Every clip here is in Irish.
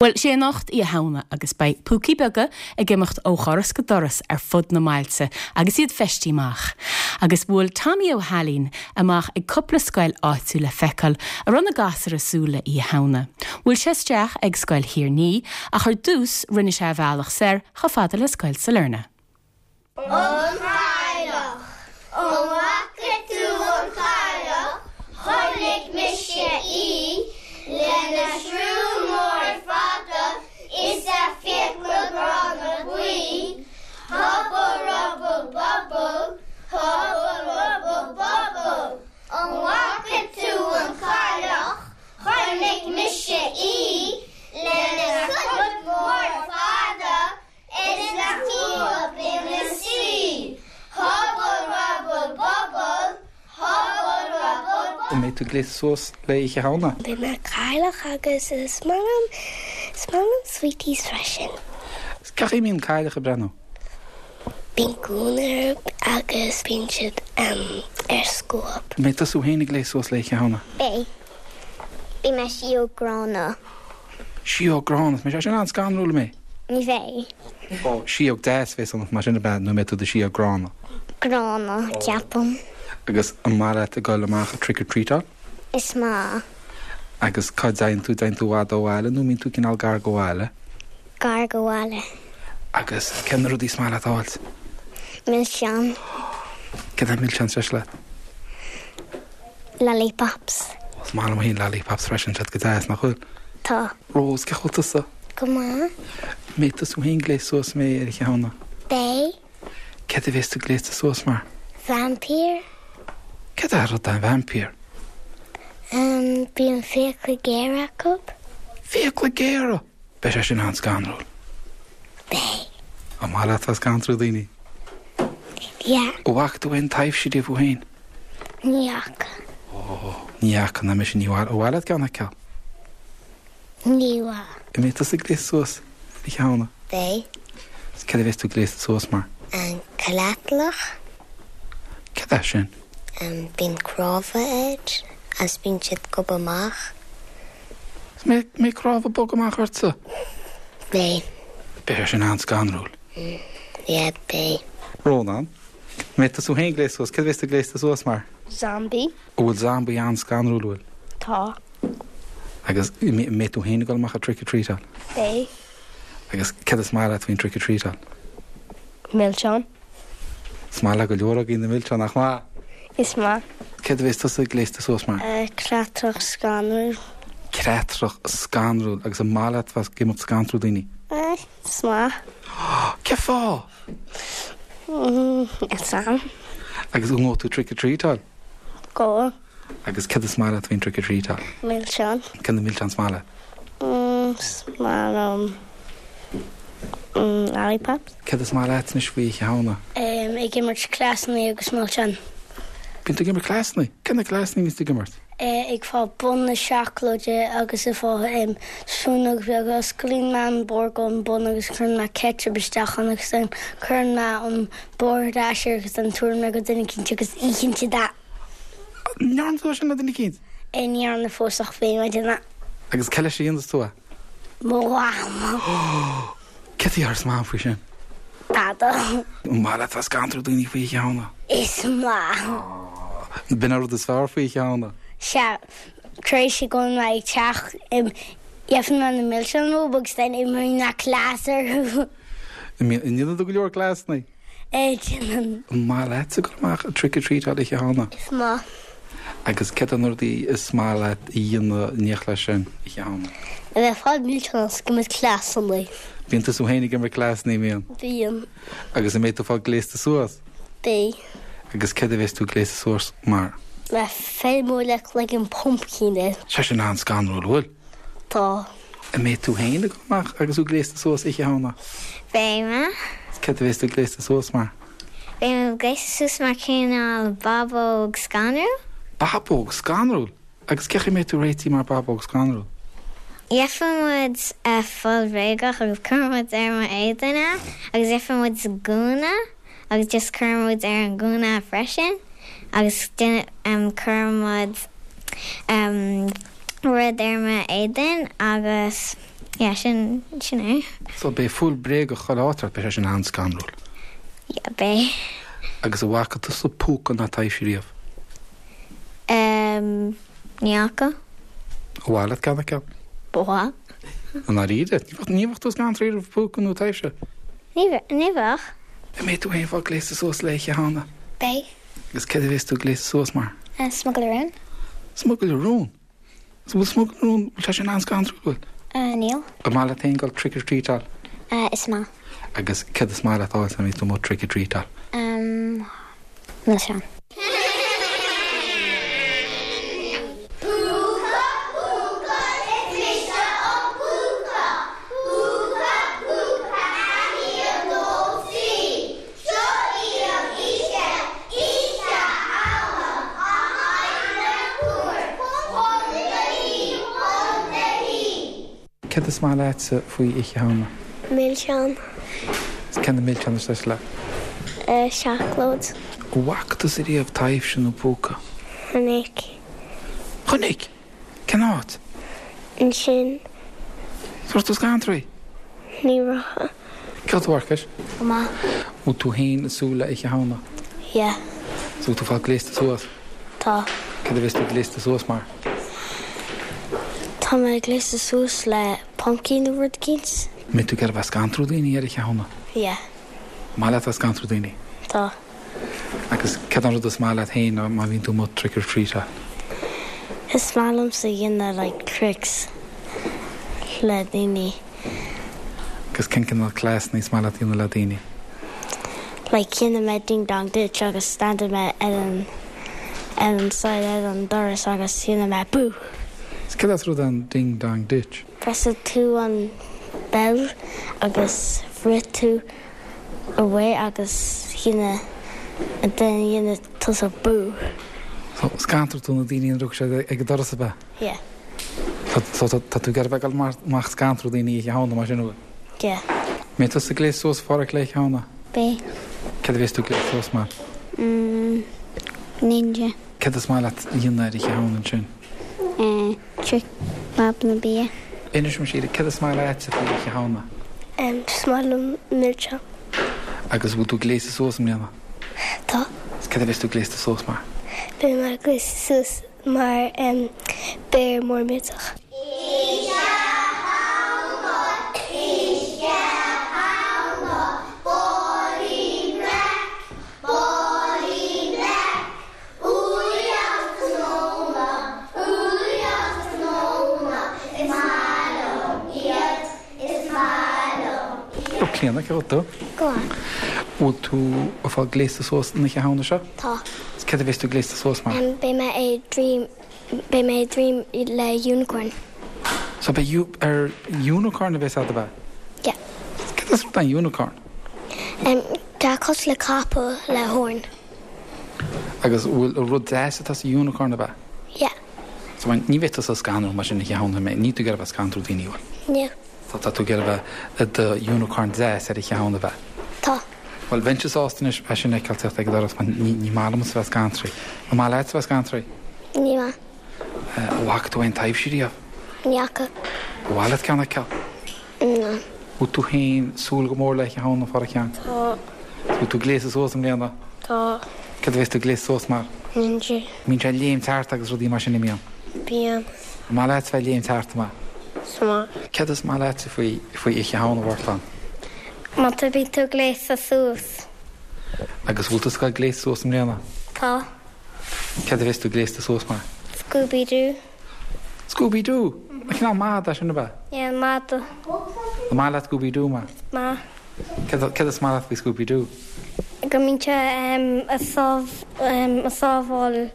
Bhuel, sé anocht Oíche Shamhna agus beidh púcaí beaga ag imeacht ó dhoras go doras ar fud na mbailte agus iad feistithe amach. Agus bhuail Tommy Ó hAilín amach ag cúpla scoil áitiúil le feiceáil an raibh na gasúir ag súil le Oíche Shamhna. Bhuail sé isteach ag Scoil Thír an Fhia ach ar dtús rinne sé a bhealach soir chomh fada le Scoil Sailearna. An Chailleach, An bhfaca tú an chailleach? Chonaic mise í lena srón mór fada is a fiacla gránna buí. Hubble rubble bubble, hubble rubble bubble. An bhfaca tú an chailleach? Chonaic mise í lena crot mór fada Is a crúba ina suí. Hubble rubble bubble, hubble rubble bubble. An mbeidh tú gléasta suas le Oíche Shamhna? Beidh mé cailleach agus is maith liom, is maith liom sweeties freisin. Cén chaoi a mbíonn cailleach ag breathnú? Bíonn gúna orthu agus bíonn siad ar scuab. An mbeidh tusa féin ag gléasadh suas le Oíche Shamhna? Beidh. Beidh mé síóg gránna. Síóg gránna? Mbeidh sé sin an-scanrúil, an mbeidh? Ní bheidh. Ó, síóg deas a bheas ionat mar sin ab ea, nó an mbeidh tú i do shíóg gránna? Gránna, ceapaim. Agus an maith leat ag dul amach ag trick or treatáil? Is maith. Agus cá dtéann tú, dtéann tú i bhfad ó bhaile nó mbíonn tú cineál gar go bhaile? Gar go bhaile. Agus cé na rudaí is maith leat a fháilt? Milseáin. Céard é milseáin is deise leat? Lollipops. Is maith liom féin lollipops freisin, tá siad go deas, nach bhfuil? Tá. Rose, cén chaoi a bhfuil tusa? Go maith. Mbeidh tusa féin gléasta suas an mbeidh ar Oíche Shamhna? Beidh. Céard a bheas tú gléasta suas mar? Vaimpír. Céard é rud é vaimpír? Umm, bíonn fiacla géara acu. Fiacla géara! Beidh sé sin an-scanrúil. Beidh. An maith leat a bheith ag scanrú daoine? Yeah. An bhfaca tú aon taibhse riamh thú féin? Ní fhaca. Ó, ní fhaca, ná mise, ní mhaith, an mhaith leat ceann a fheiceáil? Ní mhaith. An mbeidh tusa gléasta suas Oíche Shamhna? Beidh. Is céard a bheas tú gléasta suas mar? An cleatlach. Céard é sin? Bíonn cnámha air agus bíonn siad ag gobadh amach. Is mbeidh cnámha ag bogadh amach ortsa? Beidh. Beidh sé sin an-scanrúil. Yeah, beidh. Rónán, An mbeidh tusa féin gléasta suas? Céard a bheas tú gléasta suas mar? Zombie. An bhfuil zombie an-scanrúil, an bhfuil? Tá. Agus an mbeidh tú féin ag dul amach ag trick or treatáil? Beidh. Agus céard is maith leat faoin trick or treatáil? Milseáin. Is maith le go leor againn na milseáin, nach maith? Is maith. Céard a bheas tusa gléasta suas mar? Creatrach scanrúil. Creatrach scanrúil. Agus an maith leat bheith ag imeacht ag scanrú daoine? Is maith. Cén fáth? Is am. Agus an ngabhfaidh tú trick or treatáil? Gabhfaidh. Agus céard is maith leat faoin trick or treatáil? Milseáin. Cé na milseáin is maith leat? Is maith liom lollipops. Céard is maith leat anois faoi Oíche Shamhna? Ag imirt cleasanna agus milseáin. Bíonn tú ag imirt cleasanna? Cé na cleasanna a bhíonns tú ag imirt? Ag fáil bun na seacláide agus ag fáil spúnóg bheag. Osclaíonn mé an barr den bun agus cuireann mé ketchup isteach ann agus then cuireann mé an barr ar ais air agus then tabharann mé go duine eicínt agus itheann siad é. An ndearna tú é sin le duine eicínt? Ní dhearna fós ach beidh mé ag déanamh. Agus cé leis a dhéanfas tú é? Mo mham. Céard a déarfas Mam faoi sin? Tada. An maith leat bheith ag scanrú daoine faoi Oíche Shamhna? Is maith. B'in an rud is fearr faoi Oíche Shamhna. Sea. Tar éis go bhfuil mé ag teach, gheobhaidh mé na milseáin uathu agus then imreoidh mé cleas orthu. An ndéanann tú go leor cleasanna? Déanann. An maith leatsa dul amach ag trick or treatáil Oíche Shamhna? Is maith. Agus céard é na rudaí is maith leat a dhéanamh in éineacht leis sin Oíche Shamhna? A bheith ag fáil milseáin agus ag imirt cleasanna. Bíonn tusa féin ag imirt cleasanna, mbíonn? Bíonn. Agus an mbeidh tú ag fáil gléasta suas? Beidh. Agus céard a bheas tú gléasta suas mar? Mar feirmeoir le cloigeann pumpkin air. Sé sin an-scanrúil, an bhfuil? Tá. An mbeidh tú féin ag dul amach agus tú gléasta suas Oíche Shamhna? Beidh mé. Céard a bheas tú gléasta suas mar? Beidh mé gléasta suas mar cineál babóg scanrúil. Babóg scanrúil? Agus cén chaoi a mbeidh tú réitithe mar babóg scanrúil? Gheobhaidh muid fuil bhréagach agus cuirfidh muid ar mo éadan é agus gheobhaidh muid gúna agus just cuirfidh muid ar an gúna é freisin agus cuirfidh muid rud ar mo éadan agus. Yeah, sin, sin é. So beidh fuil bréagach chuile áit ort, beidh sé sin an-scanrúil. Yeah, beidh. Agus an bhfaca tusa púca ná taibhse riamh? Ehm, ní fhaca. Ar mhaith leat ceann a fheiceáil? Ba mhaith. I ndáiríre? Ní bheadh tú scanraithe roimh phúca nó taibhse? Ní bheadh, ní bheadh. An mbeidh tú féin ag fáil gléasta suas le Oíche Shamhna? Beidh. Agus céard a bheas tú gléasta suas mar? Smugairle rúin. Smugairle rún? Is bhfuil smugairle rún, bhfuil sé sin an-scanrúil, bhfuil? Níl. An maith leat féin dul trick or treatáil? Is maith. Agus céard is maith leat a fháil nuair a bhíonn tú amuigh trick or treatáil? Milseáin. Púca, púca, is mise an púca. Púca, púca, a haon, dó, trí. Seo í an oíche, Oíche Shamhna, an aimsir fhuar, Contae, contae. Céard is maith leatsa faoi Oíche Shamhna? Milseáin. Is cén milseán is deise leat? Seacláid. An bhfaca tusa riamh taibhse nó púca? Chonaic. Chonaic? Cén áit? Ansin. Is raibh tú scanraithe? Ní raibh. Cén chaoi a bhfuil tú a Mharcais? Go maith. Bhfuil tú féin ag súil le Oíche Shamhna? Yeah. Is bhfuil tú ag fáil gléasta suas? Tá. Céard a bheas tú gléasta suas mar? Tá mé gléasta suas le pumpkin nó rud eicínt. Mbeidh tú ag iarraidh bheith ag scanrú daoine ar Oíche Shamhna? Yeah. Maith leat bheith ag scanrú daoine? Tá. Agus céard an rud is maith leat féin má bhíonn tú amuigh trick or treatáil? Is maith liomsa dhéanamh like tricks le daoine. Agus cén cineál cleasanna is maith leat dhéanamh le daoine? Like dhéanfaidh mé ding dong ditch agus standfaidh mé ar an ar an side ar an doras agus dhéanfaidh mé boo! Is céard as rud an ding dong ditch? Pressfaidh tú an bell agus rith tú away agus dhéanfaidh and then dhéanfaidh tusa boo! So scanróidh tú na daoine nuair a thiocfaidh siad ag an doras ab ea? Yeah. So tá tú ag iarraidh bheith ag dul amach ag scanrú daoine Oíche Shamhna mar sin an bhfuil? Yeah. Mbeidh tusa gléasta suas a Pháraic le Oíche Shamhna? Beidh. Céard a bheas tú gléasta suas mar? Mm, ninja. Céard is maith leat a dhéanamh ar Oíche Shamhna ansin? Eh, trick fadhbanna bia. Inis dom a Shíle, céard is maith leatsa faoi Oíche Shamhna? Em, is maith liom milseáin. Agus bhfuil tú gléasta suas i mbliana? Tá. Is céard a bheas tú gléasta suas mar? Beidh mé gléasta suas mar béar mór millteach. Oíche Shamhna, Oíche Shamhna, Bóilín breac, bóilín breac, Úllaí agus cnónna, úllaí agus cnónna, Is maith liom iad, is maith liom iad. Ó Clíona, cén chaoi a bhfuil tú? Go maith. Bhfuil tú ag fáil gléasta suas an Oíche Shamhna seo? Tá. Is céard a bheas tú gléasta suas mar? Beidh mé ag dream, beidh mé ag dream le unicorn. So beidh ar unicorn a bheas a'd ab ea? Yeah. Céard as rud an unicorn? Tá cosúil le capall le horn. Agus bhfuil rud deas atá sa unicorn ab ea? Yeah. So ní bheidh tusa ag scanrú mar sin Oíche Shamhna, níl tú ag iarraidh bheith ag scanrú daoine, bhfuil? Níl. So tá tú ag iarraidh bheith i do unicorn deas ar Oíche Shamhna ab ea? Tá. Bhuel, bheinnse sásta anois é sin a fheiceáil teacht ag an doras mar ní maith liomsa bheith scanraithe. An maith leatsa bheith scanraithe? Ní maith. An bhfaca tú aon taibhse riamh? Ní fhaca. Ar mhaith leat ceann a fheiceáil? No. Bhfuil tú féin súil go mór le Oíche Shamhna, a Pháraic Sheáin? Tá. Bhfuil tú gléasta suas i mbliana? Tá. Céard a bheas tú gléasta suas mar? Ninja. Mbíonn sé ag léimt thart agus rudaí mar sin, an mbíonn? Bíonn. An maith leat bheith ag léimt thart, an maith? Is maith. Céard is maith leatsa faoi faoi Oíche Shamhna, a Mhartáin? Má tá bíonn tú gléasta suas. Agus bhfuil tusa ag dul gléasta suas i mbliana? Tá. Céard a bheas tú gléasta suas mar? Scooby Doo. Scooby Doo? An cineál mada sin ab ea? Yeah, mada. An maith leat Scooby Doo mar? Is maith. Céard céard is maith leat faoi Scooby Doo? Go mbíonn sé ag sábháil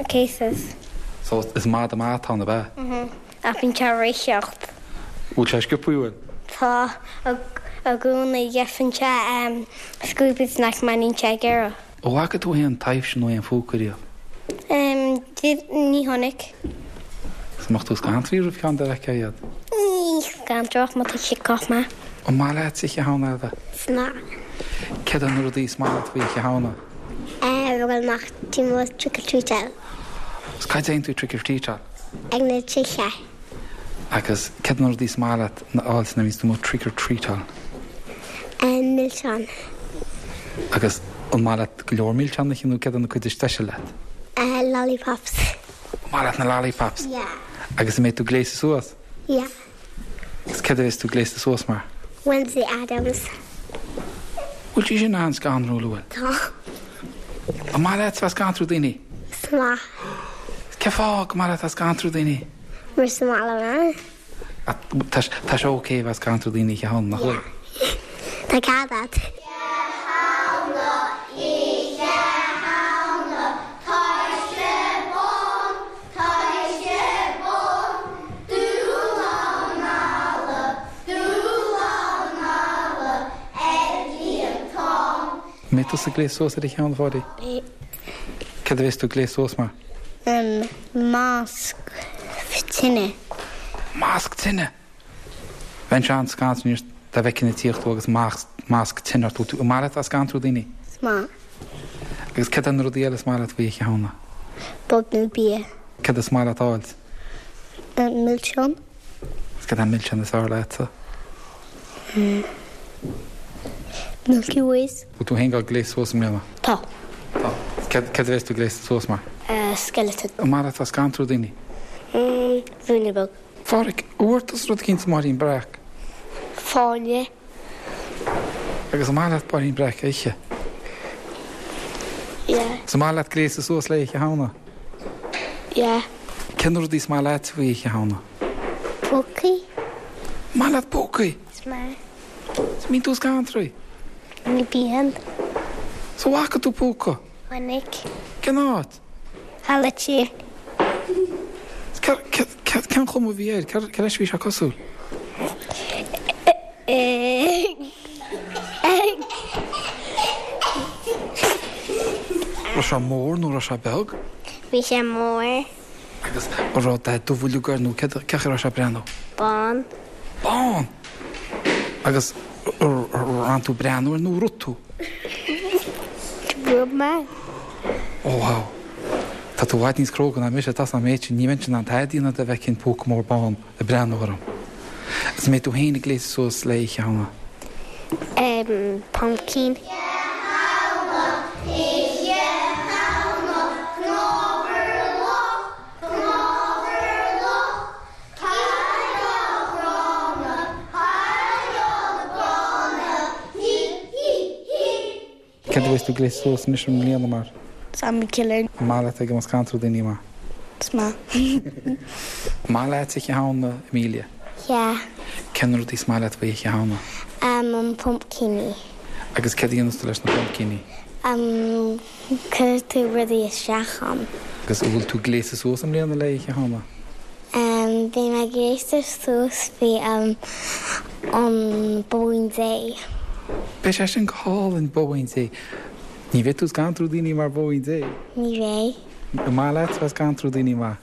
cases. So is mada maith atá ann ab ea? Mhm. Ach bíonn sé ag ritheacht. Bhfuil sé sciobtha, bhfuil? Tá. I gcónaí gheibheann sé Scooby Snack má níonn sé ag iarraidh. An bhfaca tú aon taibhse nó aon phúca riamh? Ní chonaic. Is mbeadh tú scanraithe roimh cheann dá bhfeicfeá iad? Ní scanródh má tá siad chomh maith. An maith leat Oíche Shamhna, Ailbhe? Is maith. Céard é na rudaí is maith leat faoi Oíche Shamhna? Ag dul amach timpeall trick or treatáil. Is cá dtéann tú trick or treatáil? Ag na tithe. Agus céard na rudaí is maith leat a fháil nuair a bhíonns tú amuigh trick or treatáil? Milseáin. Agus an maith leat go leor milseán a ithe nó céard an cuid is deise leat? Lollipops. An maith leat na lollipops? Yeah. Agus an mbeidh tú gléasta suas? Yeah. Agus céard a bheas tú gléasta suas mar? Wednesday Addams. Bhfuil sí sin an-scanrúil, an bhfuil? Tá. An maith leat bheith ag scanrú daoine? Is maith. Cén fáth go maith leat bheith ag scanrú daoine? Mar is maith liom é. Tá sé ok bheith ag scanrú daoine oíche Shamhna, nach bhfuil? Yeah. Tá cead agat. Shamhna, Oíche Shamhna, Taoiste bán, Taoiste bán, Dúnán malla, Dúnán malla, ar líontán. An mbeidh tusa gléasta suas ar Oíche Shamhna, a Pháidí? Beidh. Céard a bheas tú gléasta suas mar? Masc tine. Masc tine! Bheinnse an-scanraithe dá bhfeicfinn ag tíocht thú agus masc tine ort. An maith leat a bheith ag scanrú daoine? Is maith. Agus céard é na rudaí eile is maith leat faoi Oíche Shamhna? Bob nó bia. Céard is maith leat a fháilt? Milseán. Is céard é an milseán is fearr leatsa? Milky Ways. Bhfuil tú féin ag dul gléasta suas i mbliana? Tá. Tá. Céard a bheas tú gléasta suas mar? Skeleton. An maith leat a bheith ag scanrú daoine? Ruainne beag. Phádraic, an bhfuair tusa rud eicínt sa mBáirín Breac? Fáinne. Agus an maith leat Báirín Breac a ithe? Yeah. Is an maith leat gléasadh suas le Oíche Shamhna? Yeah. Cé na rudaí is maith leat faoi Oíche Shamhna? Púcaí. An maith leat púcaí? Is maith. Is an mbíonn tú scanraithe? Ní bhíonn. 'S an bhfaca tú púca? Chonaic. Cén áit? Halla Tí. Cén chuma a bhí air? Cé leis a bhí sé cosúil? Raibh sé mór nó raibh sé beag? Bhí sé mór. Agus an raibh dath dubh uilig air nó cén chaoi a raibh sé ag breathnú? Bán. Bán! Agus ar fhan tú ag breathnú air nó ar rith tú? Rith mé. Ó wow. Tá tú i bhfad níos cróga ná mise, tá 's a'm é sin, ní bheinnse in ann tada a dhéanamh dá bhfeicfinn púca mór bán ag breathnú orm. Is an mbeidh tú féin ag gléasadh suas le Oíche Shamhna? Em, pumpkin. Oíche Shamhna, cnámh ar luch, cnámh ar luch, Céard a bheas tú gléasta suas anois i mbliana mar? Zombie killer. An maith leat ag imeacht scanrú daoine mar? Is maith. An maith leat Oíche Shamhna, Amelia? Yeah. Cé na rudaí is maith leat faoi Oíche Shamhna? Um, an pumpkíní. Agus céard a dhéanas tú leis na pumpkíní? Um, cuir tú rudaí isteach ann. Agus an bhfuil tú gléasta suas i mbliana le Oíche Shamhna? Um, bhí mé gléasta suas faoi um, an Bóín Dé. Beidh sé sin go hálainn, Bóín Dé. Ní bheidh tú ag scanrú daoine mar Bóín Dé? Ní bheidh. An maith leat bheith ag scanrú daoine mar?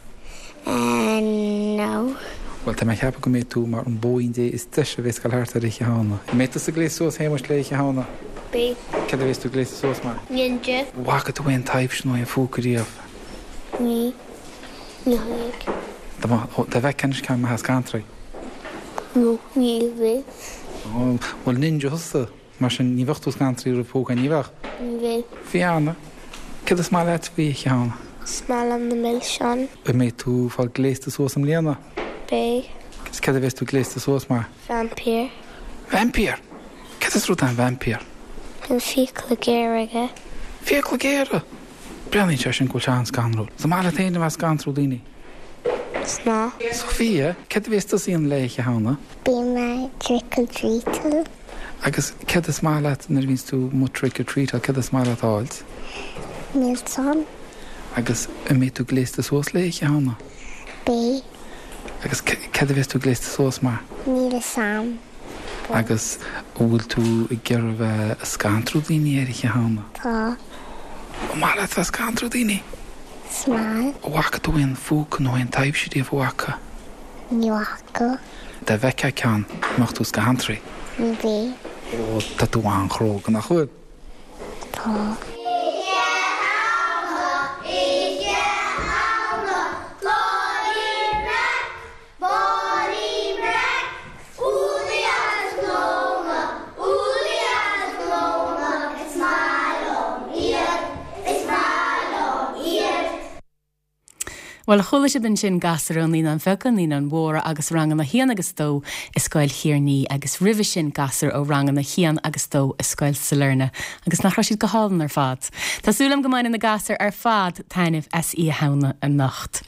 Um, no. Bhuel, tá mé ag ceapadh go mbeidh tú mar an Bóín Dé is deise a bheas ag dul thart ar Oíche Shamhna. An mbeidh tusa gléasta suas, Shéamuis, le Oíche Shamhna? Beidh. Céard a bheas tú gléasta suas mar? Ninja. Bhfaca tú aon taibhse nó aon phúca riamh? Ní. Ní chonaic. Dá bhfeicfeá anois ceann an mbeifeá scanraithe? No, ní bheadh. Ó, bhuel ninja thusa, mar sin ní bheadh tú scanraithe roimh phúca, ní bheadh? Ní bheadh. Fiona, céard is maith leat faoi Oíche Shamhna? Is maith liom na milseáin. An mbeidh tú ag fáil gléasta suas i mbliana? Beidh. Agus céard a bheas tú gléasta suas mar? Vaimpír. Vaimpír? Céard is rud é an vaimpír? Bíonn fiacla géara aige. Fiacla géara! Breathnaíonn sé sin go bhfuil sé an-scanrúil. Is maith leat féin a bheith ag scanrú daoine? Is maith. Sophia, céard a bheas tusa a dhéanamh le Oíche Shamhna? Beidh mé trick or treatáil. Agus céard is maith leat nuair a bhíonns tú amuigh trick or treatáil, céard is maith leat a fháilt? Milseáin. Agus an mbeidh tú gléasta suas le Oíche Shamhna? Beidh. Agus céard a bheas tú gléasta suas mar? Níl a fhios a'm. Agus an bhfuil tú ag iarraidh a bheith ag scanrú daoine ar Oíche Shamhna? Tá. An maith leat bheith ag scanrú daoine? Is maith. An bhfaca tú aon phúca nó aon taibhse riamh, an bhfaca? Ní bhfaca. Dá bhfeicfeá ceann, an mbeadh tú scanraithe? Ní bheadh. Ó, tá tú an-chróga, nach bhfuil? Tá. Oíche Shamhna, Oíche Shamhna, Báirín Breac, Báirín. Bhuel, chuala sibh ansin gasúir ó Naíonáin Bheaga, Naíonáin Mhóra agus Ranganna 1 agus 2 i Scoil Thiarnaí agus roimhe sin gasúir ó Ranganna 1 agus 2 i Scoil Sailearna agus nach raibh siad go hálainn ar fad? Tá súil agam go mbainfidh na gasúir ar fad taitneamh as Oíche Shamhna anocht.